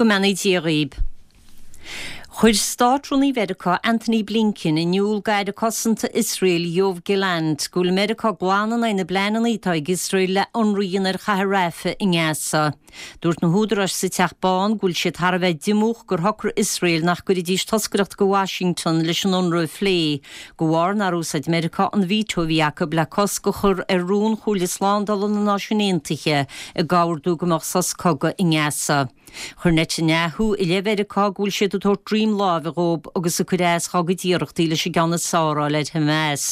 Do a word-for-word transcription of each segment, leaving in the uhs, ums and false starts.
Go mbeannaí Dia dhaoib. Chuir Státrúnaí Mheiriceá Antony Blinken in iúl d'Aire Cosanta Iosrael Yoav Gallant go bhfuil Meiriceá glan in aghaidh na bpleananna atá ag Iosrael le ionradh a dhéanamh ar chathair Rafah i nGaza. Dúirt na húdaráis sa Teach Bán go bhfuil siad thar a bheith diomúch gur shocraigh Iosrael nach gcuirfidís toscaireacht go Washington leis an ionradh a phlé, de bharr nár úsáid Meiriceá an veto a bhí acu le cosc a chur ar rún Chomhairle Slándála na Náisiún Aontaithe ag ordú go mbeadh sos cogaidh i nGaza. Chuir Netanyahu i leith Mheiriceá go bhfuil siad ag tabhairt droim láimhe dhóibh agus ag cur as dá gcuid iarrachtaí leis an gceann is fearr a fháil ar Hamas.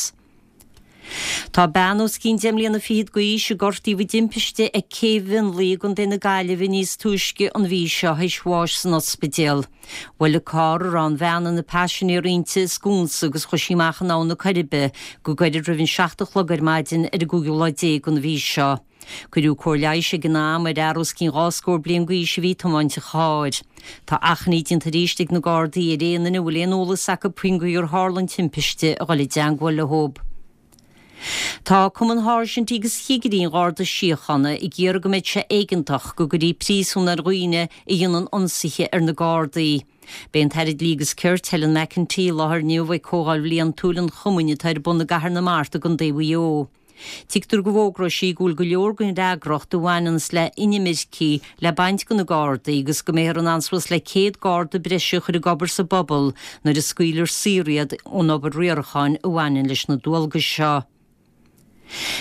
Tá bean os cionn deich mbliana fichead d'aois a gortaíodh i dtimpiste ag Cé Mhionlaigh i gContae na Gaillimhe níos túisce an mhí seo théis bháis san ospidéal. Bhuail an carr a raibh an bhean ina paisinéir inti sconsa agus chuaigh sí amach in Abhainn na Coiribe go gairid roimh an seacht a chlog ar maidin ar an gcúigiú lá déag den mhí seo. Cuireadh cóir leighis ag an am ar fhear os cionn dhá scór bliain d'aois a bhí ag tiomáint an chairr. Tá achainí déanta arís ag na Gardaí ar aon duine a bhfuil aon eolas acu faoin gcaoi ar tharla an timpiste a dhul i dteangmháil leo. Tá Cumann Sháirsintí agus Chigirí an Gharda Síochána ag iarraidh go mbeidh sé éigeantach go gcuirfí príosún ar dhaoine a dhéanann ionsaithe ar na Gardaí. Beidh an tAire Dlí agus Cirt, Helen McEntee, i láthair inniu ag comhdháil bhliantúil an chumainn atá ar bun i gCathair na Mart i gContae Mhaigh Eo. Tuigtear go bhfógróidh sí go bhfuil go leor den fhreagracht a bhaineanns le inimircigh le baint de na Gardaí agus go mbeifear in ann suas le céad Garda breise a chur ag obair sa bpobal nuair a scaoilfear saor iad ón obair riaracháin a bhaineann leis na dualgais seo.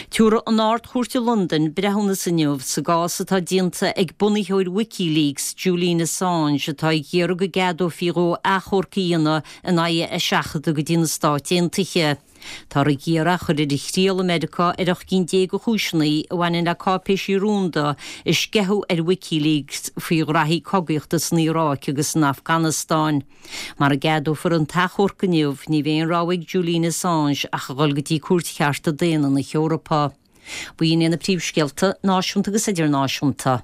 Tabharfaidh an Ard-Chúirt i Londain breithiúnas inniu sa gcás atá déanta ag bunaitheoir WikiLeaks, Julian Assange, atá ag iarraidh go gceadófaí dhó achomharc a dhéanamh in aghaidh a eiseachadta go dtí na Stáit Aontaithe. Táthar ag iarraidh é a chur ar a thriail i Meiriceá ar ocht gcinn déag de chúiseanna a bhaineann le cáipéisí rúnda a sceitheadh ar WikiLeaks faoi ghraithí cogaíochta san Iaráic agus san Afganastáin. Mara gceadófar an t-achomharc inniu, ní bheidh aon rogha ag Julian Assange ach a dhul go dtí Cúirt Chearta Daonna na hEorpa. B'in iad na príomhscéalta náisiúnta agus idirnáisiúnta.